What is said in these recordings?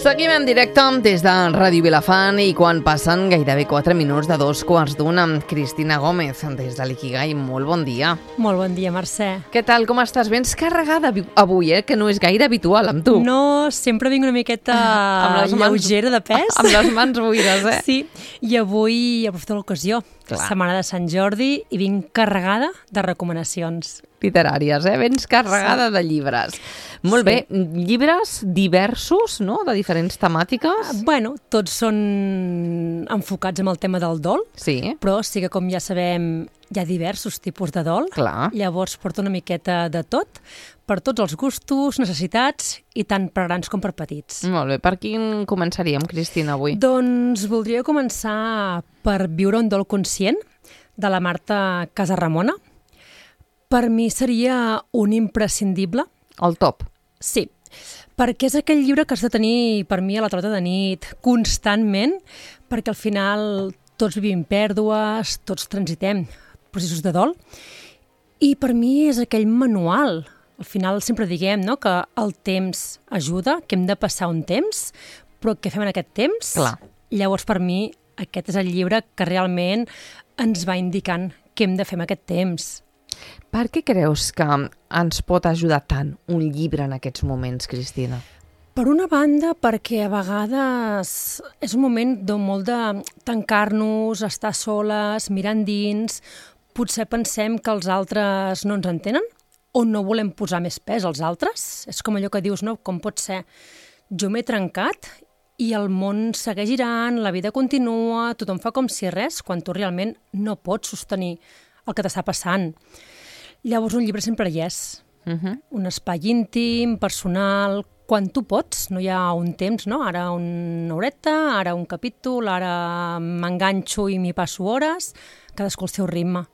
Seguim en directe des de Ràdio Vilafant i quan passen gairebé 4 minuts de 2:15 amb Cristina Gómez des de l'Ikigai. Molt bon dia. Molt bon dia, Mercè. Què tal, com estàs? Vens carregada avui, que no és gaire habitual amb tu. No, sempre vinc una miqueta lleugera de pes. Amb les mans buides, Sí, i avui aprofito l'ocasió. Clar. Setmana de Sant Jordi i vinc carregada de recomanacions. Literàries, vens carregada de llibres. Molt bé, llibres diversos, no?, de diferents temàtiques. Bueno, tots són enfocats en el tema del dol, Sí. però sí que, com ja sabem, hi ha diversos tipus de dol. Clar. Llavors porta una miqueta de tot, per tots els gustos, necessitats, i tant per grans com per petits. Molt bé, per quin començaríem, Cristina, avui? Doncs voldria començar per Viure un dol conscient, de la Marta Casaramona. Per mi seria un imprescindible. El top. Sí, perquè és aquell llibre que has de tenir, per mi, a la tauleta de nit, constantment, perquè al final tots vivim pèrdues, tots transitem processos de dol, i per mi és aquell manual. Al final sempre diguem, no?, que el temps ajuda, que hem de passar un temps, però què fem en aquest temps? Clar. Llavors, per mi, aquest és el llibre que realment ens va indicant què hem de fer en aquest temps. Per què creus que ens pot ajudar tant un llibre en aquests moments, Cristina? Per una banda, perquè a vegades és un moment molt de tancar-nos, estar soles, mirar endins, potser pensem que els altres no ens entenen o no volem posar més pes als altres. És com allò que dius, no? Com pot ser? Jo m'he trencat i el món segueix girant, la vida continua, tothom fa com si res, quan tu realment no pots sostenir el que t'està passant. Llavors un llibre sempre hi és. Un espai íntim, personal, quan tu pots, no hi ha un temps, no? Ara una horeta, ara un capítol, ara m'enganxo i m'hi passo hores, cadascú al seu ritme.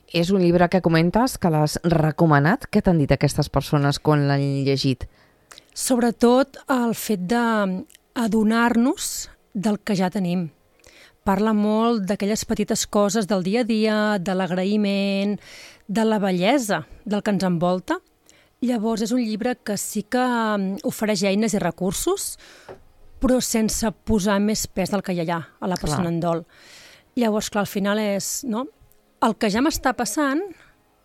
És un llibre que comentes que l'has recomanat. Què t'han dit aquestes persones quan l'han llegit? Sobretot el fet d'adonar-nos del que ja tenim. Parla molt d'aquelles petites coses del dia a dia, de l'agraïment, de la bellesa del que ens envolta. Llavors és un llibre que sí que ofereix eines i recursos, però sense posar més pes del que hi ha a la persona en dol. Llavors, clar, al final és, no?, el que ja m'està passant,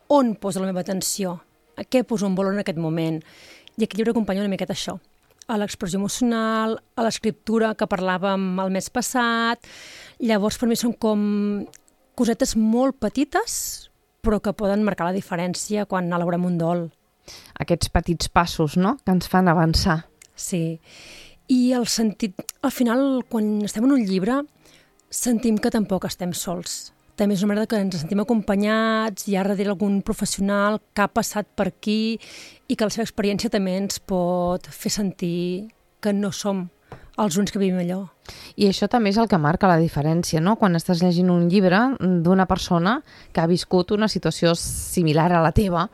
on poso la meva atenció? A què poso en valor en aquest moment? I aquest llibre acompanya una miqueta això, a l'expressió emocional, a l'escriptura que parlàvem el mes passat. Llavors, per mi són com cosetes molt petites, però que poden marcar la diferència quan elaborem un dol. Aquests petits passos, no?, que ens fan avançar. Sí, i el sentit, al final, quan estem en un llibre, sentim que tampoc estem sols. També és una manera que ens sentim acompanyats, hi ha darrere algun professional que ha passat per aquí i que la seva experiència també ens pot fer sentir que no som els únics que vivim allò. I això també és el que marca la diferència, no?, quan estàs llegint un llibre d'una persona que ha viscut una situació similar a la teva,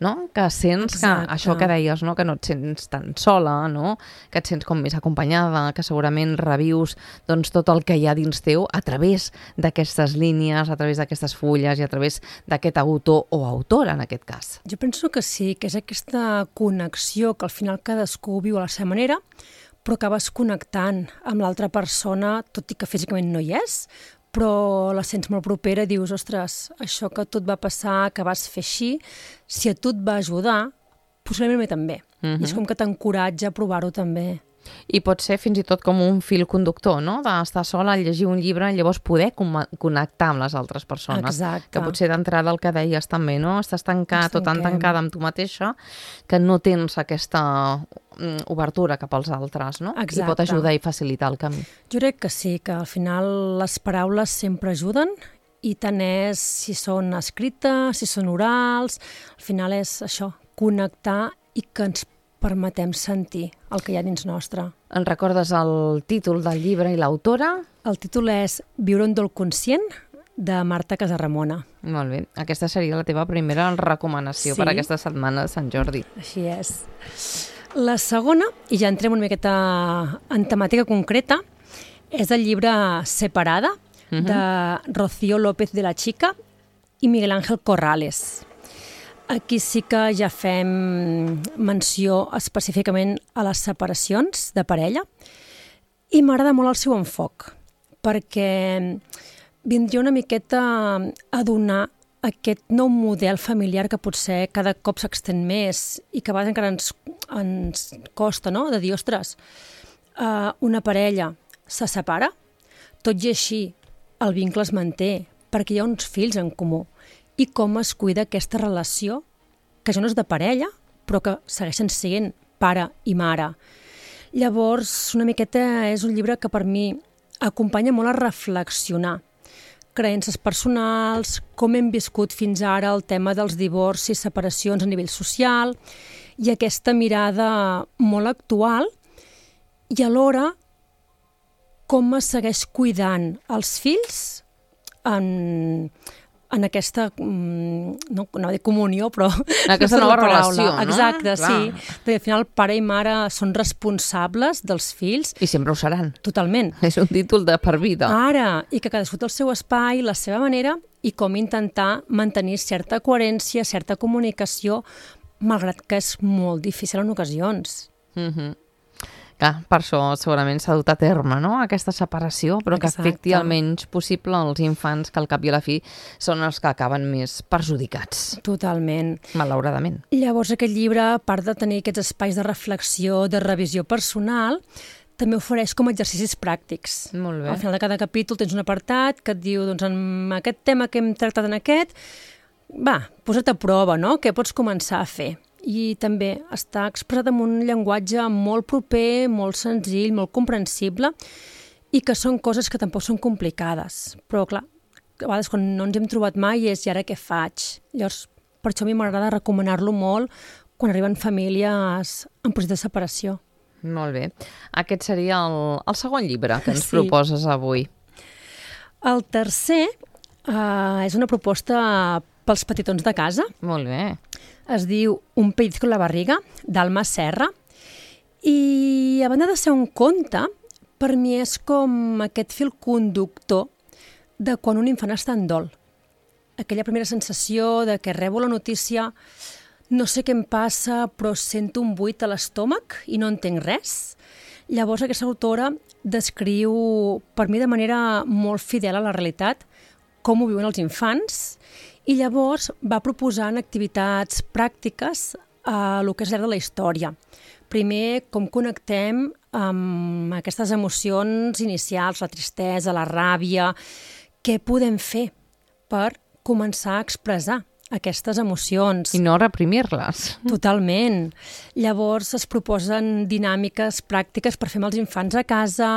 no?, que sents que això que deies, no?, que no et sents tan sola, no?, que et sents com més acompanyada, que segurament revius doncs, tot el que hi ha dins teu a través d'aquestes línies, a través d'aquestes fulles i a través d'aquest autor o autora, en aquest cas. Jo penso que sí, que és aquesta connexió que al final cadascú viu a la seva manera, però acabes connectant amb l'altra persona, tot i que físicament no hi és, però la sents molt propera i dius, ostres, això que a tu et va passar, que vas fer així, si a tu et va ajudar, possiblement a mi també. I és com que t'encoratja a provar-ho també. I pot ser fins i tot com un fil conductor, no?, d'estar sola, llegir un llibre i llavors poder connectar amb les altres persones. Exacte. Que potser d'entrada el que deies també, no?, estàs tancat o tan tancada amb tu mateixa que no tens aquesta obertura cap als altres, no? Exacte. I pot ajudar i facilitar el camí. Jo crec que sí, que al final les paraules sempre ajuden i tant és si són escrites, si són orals, al final és això, connectar i que ens permetem sentir el que hi ha dins nostre. En recordes el títol del llibre i l'autora? El títol és Viure un dol conscient, de Marta Casaramona. Molt bé. Aquesta seria la teva primera recomanació per aquesta setmana de Sant Jordi. Així és. La segona, i ja entrem una miqueta en temàtica concreta, és el llibre Separada, de Rocío López de la Chica i Miguel Ángel Corrales. Aquí sí que ja fem menció específicament a les separacions de parella I m'agrada molt el seu enfoc, perquè vindria una miqueta a donar aquest nou model familiar que potser cada cop s'extén més i que a vegades encara ens costa, no?, de dir, ostres, una parella se separa, tot i així el vincle es manté perquè hi ha uns fills en comú i com es cuida aquesta relació, que ja no és de parella, però que segueixen sent pare i mare. Llavors, una miqueta és un llibre que per mi acompanya molt a reflexionar creences personals, com hem viscut fins ara el tema dels divorcis, separacions a nivell social i aquesta mirada molt actual i alhora com es segueix cuidant els fills en aquesta, no anava a dir comunió, però... Aquesta nova relació, no? Exacte, sí. Perquè al final pare i mare són responsables dels fills. I sempre ho seran. Totalment. És un títol de per vida. Ara, i que cadascú té el seu espai, la seva manera, i com intentar mantenir certa coherència, certa comunicació, malgrat que és molt difícil en ocasions. Clar, per això segurament s'ha dut a terme, no?, aquesta separació, però que afecti el menys possible els infants, que al cap i a la fi són els que acaben més perjudicats. Totalment. Malauradament. Llavors aquest llibre, a part de tenir aquests espais de reflexió, de revisió personal, també ofereix com exercicis pràctics. Molt bé. Al final de cada capítol tens un apartat que et diu, doncs, en aquest tema que hem tractat en aquest, va, posa't a prova, no?, què pots començar a fer? I també està expressat en un llenguatge molt proper, molt senzill, molt comprensible i que són coses que tampoc són complicades. Però, clar, a vegades quan no ens hem trobat mai és i ara què faig? Llavors, per això a mi m'agrada recomanar-lo molt quan arriben famílies en procés de separació. Molt bé. Aquest seria el segon llibre que ens proposes avui. El tercer és una proposta pels petitons de casa. Molt bé. Es diu Un pellizco en la barriga, d'Alma Serra, i a banda de ser un conte, per mi és com aquest fil conductor de quan un infant està en dol. Aquella primera sensació de que rebo la notícia, no sé què em passa, però sento un buit a l'estómac i no entenc res. Llavors aquesta autora descriu, per mi de manera molt fidel a la realitat, com ho viuen els infants, i llavors va proposant activitats pràctiques a lo que és l'era de la història. Primer, com connectem amb aquestes emocions inicials, la tristesa, la ràbia, què podem fer per començar a expressar aquestes emocions. I no reprimir-les. Totalment. Llavors es proposen dinàmiques pràctiques per fer amb els infants a casa.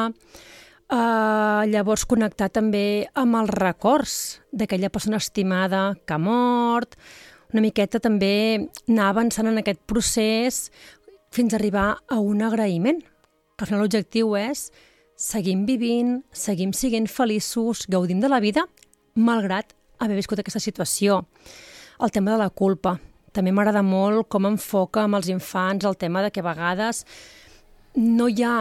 Llavors connectar també amb els records d'aquella persona estimada que ha mort, una miqueta també anar avançant en aquest procés fins a arribar a un agraïment, que al final l'objectiu és seguim vivint, seguim sent feliços, gaudim de la vida, malgrat haver viscut aquesta situació. El tema de la culpa. També m'agrada molt com enfoca amb els infants el tema de que a vegades no hi ha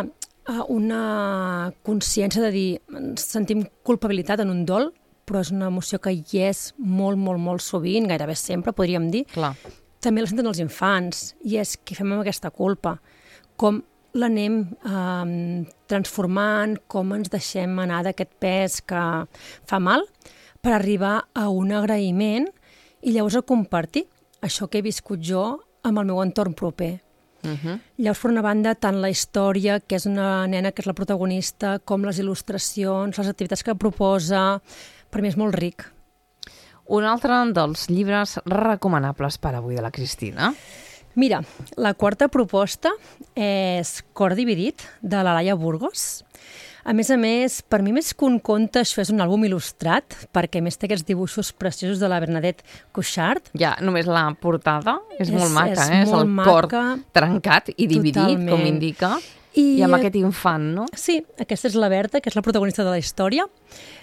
una consciència de dir sentim culpabilitat en un dol, però és una emoció que hi és molt, molt, molt sovint, gairebé sempre, podríem dir. Clar. També la senten els infants, i és què fem amb aquesta culpa, com l'anem transformant, com ens deixem anar d'aquest pes que fa mal, per arribar a un agraïment i llavors a compartir això que he viscut jo amb el meu entorn proper. Llavors, per una banda, tant la història, que és una nena que és la protagonista, com les il·lustracions, les activitats que proposa, per mi és molt ric. Un altre dels llibres recomanables per avui de la Cristina? Mira, la quarta proposta és Cor dividit, de la Laia Burgos. A més, per mi més que un conte, això és un àlbum il·lustrat, perquè a més té aquests dibuixos preciosos de la Bernadette Cuixart. Ja, només la portada és molt maca, és el cor trencat i dividit, totalment, com indica, i amb aquest infant, no? Sí, aquesta és la Berta, que és la protagonista de la història.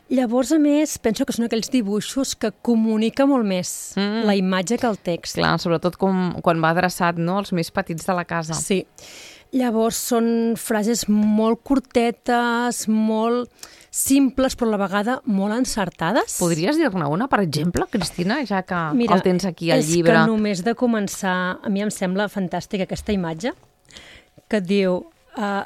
Llavors, a més, penso que són aquells dibuixos que comunica molt més la imatge que el text. Clar, sobretot quan va adreçat, no?, als més petits de la casa. Sí. Llavors són frases molt curtetes, molt simples, però a la vegada molt encertades. Podries dir-ne una, per exemple, Cristina, ja que el tens aquí al llibre? Mira, és que només de començar, a mi em sembla fantàstica aquesta imatge, que et diu,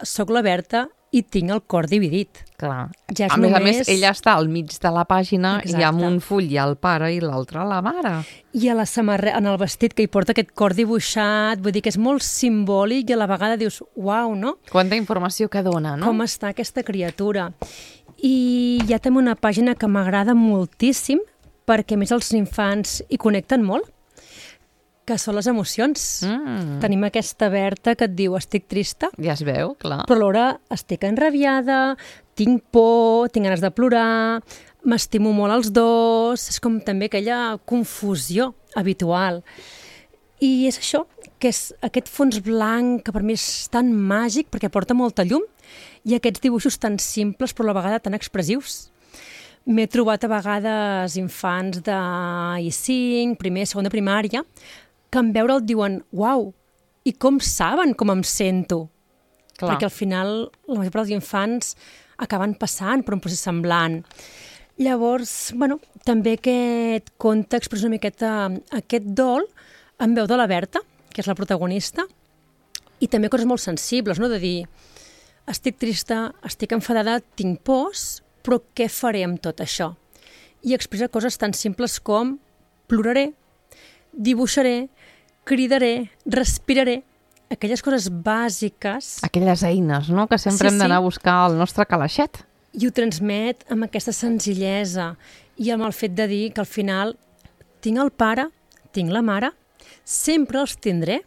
soc la Berta i tinc el cor dividit. Clar. Ja és a més, ella està al mig de la pàgina. Exacte. I amb un full hi ha el pare i l'altre la mare. I a la samarreta, en el vestit que hi porta aquest cor dibuixat, vull dir que és molt simbòlic i a la vegada dius, uau, no? Quanta informació que dona, no? Com està aquesta criatura. I hi ha també una pàgina que m'agrada moltíssim, perquè a més els infants hi connecten molt, que són les emocions. Tenim aquesta Berta que et diu estic trista, ja es veu, clar. però alhora estic enrabiada, tinc por, tinc ganes de plorar, m'estimo molt els dos, és com també aquella confusió habitual. I és això, que és aquest fons blanc que per mi és tan màgic perquè porta molta llum i aquests dibuixos tan simples però a la vegada tan expressius. M'he trobat a vegades infants d'I5, primer, segon de primària, que en veure'l diuen, uau, i com saben com em sento? Clar. Perquè al final la major part dels infants acaben passant per un procés semblant. Llavors, bueno, també aquest conte expressa una miqueta aquest dol en veu de la Berta, que és la protagonista, i també coses molt sensibles, no? De dir, estic trista, estic enfadada, tinc pors, però què faré amb tot això? I expressa coses tan simples com ploraré, dibuixaré, cridaré, respiraré, aquelles coses bàsiques. Aquelles eines, no?, que sempre hem d'anar a buscar al nostre calaixet. I ho transmet amb aquesta senzillesa i amb el fet de dir que al final tinc el pare, tinc la mare, sempre els tindré,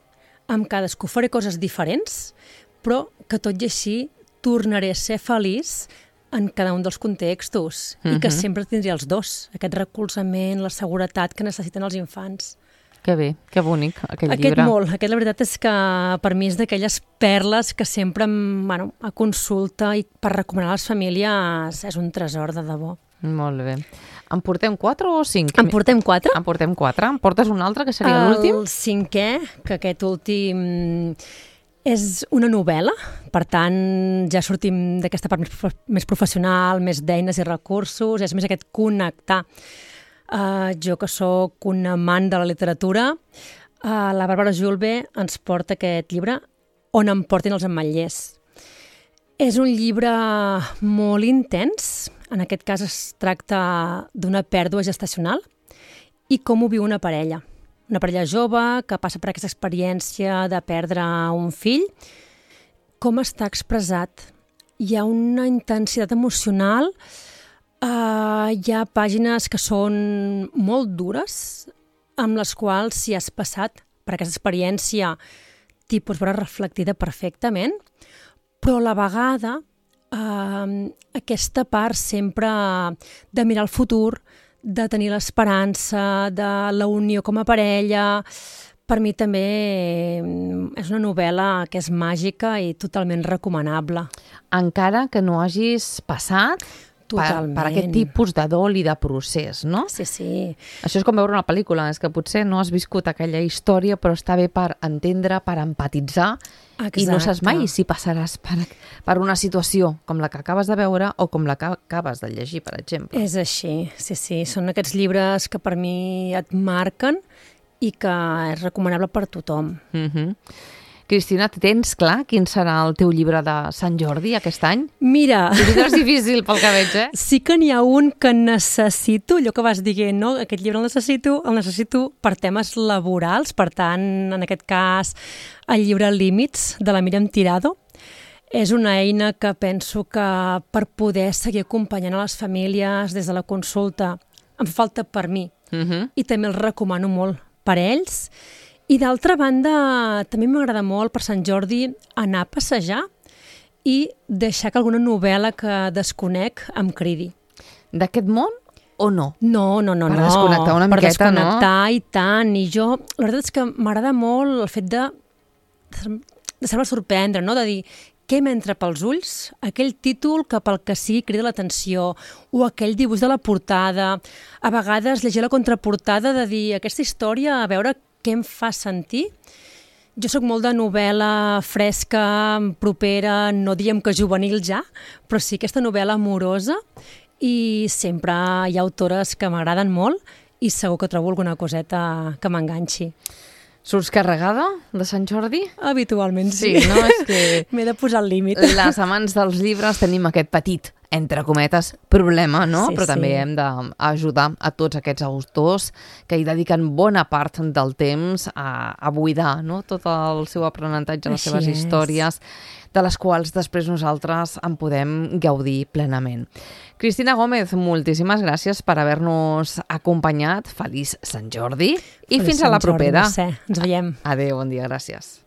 amb cadascú faré coses diferents, però que tot i així tornaré a ser feliç en cada un dels contextos i que sempre tindré els dos, aquest recolzament, la seguretat que necessiten els infants. Que bé, que bonic, aquest llibre. Aquest la veritat és que per mi és d'aquelles perles que sempre a consulta i per recomanar a les famílies és un tresor de debò. Molt bé. En portem 4 o 5? En portem 4. En portem 4. En portes un altre, que seria l'últim? El 5è, que aquest últim és una novel·la, per tant ja sortim d'aquesta part més professional, més d'eines i recursos, és més aquest connectar. Jo que sóc un amant de la literatura, la Bàrbara Julve ens porta aquest llibre On em portin els ametllers. És un llibre molt intens, en aquest cas es tracta d'una pèrdua gestacional i com ho viu una parella jove que passa per aquesta experiència de perdre un fill, com està expressat. Hi ha una intensitat emocional. Hi ha pàgines que són molt dures, amb les quals, si has passat per aquesta experiència, t'hi pots veure reflectida perfectament, però a la vegada aquesta part sempre de mirar el futur, de tenir l'esperança, de la unió com a parella, per mi també és una novel·la que és màgica i totalment recomanable. Encara que no hagis passat per aquest tipus de dol i de procés, no? Sí, sí. Això és com veure una pel·lícula, és que potser no has viscut aquella història, però està bé per entendre, per empatitzar. Exacte. I no saps mai si passaràs per una situació com la que acabes de veure o com la que acabes de llegir, per exemple. És així, sí, sí. Són aquests llibres que per mi et marquen i que és recomanable per tothom. Cristina, tens clar quin serà el teu llibre de Sant Jordi aquest any? Mira... És difícil pel que veig, Sí que n'hi ha un que necessito, allò que vas dient, no? Aquest llibre el necessito per temes laborals, per tant, en aquest cas, el llibre Límits, de la Míriam Tirado. És una eina que penso que per poder seguir acompanyant a les famílies des de la consulta em falta per mi i també el recomano molt per ells. I d'altra banda, també m'agrada molt per Sant Jordi anar a passejar i deixar que alguna novel·la que desconec em cridi. D'aquest món o no? No. Per desconnectar una miqueta, no? Per desconnectar i tant. I jo, la veritat és que m'agrada molt el fet de deixar-me sorprendre, no? De dir, què m'entra pels ulls? Aquell títol que pel que sigui crida l'atenció o aquell dibuix de la portada. A vegades llegir la contraportada de dir, aquesta història, a veure què em fa sentir. Jo sóc molt de novel·la fresca, propera, no diem que juvenil ja, però sí aquesta novel·la amorosa i sempre hi ha autores que m'agraden molt i segur que trobo alguna coseta que m'enganxi. Surts carregada de Sant Jordi? Habitualment sí. Sí, no? És que m'he de posar el límit. les amants dels llibres tenim aquest petit, entre cometes, problema, no? Sí, Però també sí. hem d'ajudar a tots aquests autors que hi dediquen bona part del temps a buidar, no? Tot el seu aprenentatge, les Així seves és. històries, de les quals després nosaltres en podem gaudir plenament. Cristina Gómez, moltíssimes gràcies per haver-nos acompanyat. Feliç Sant Jordi i fins a la propera. Ens veiem. Adéu, bon dia, gràcies.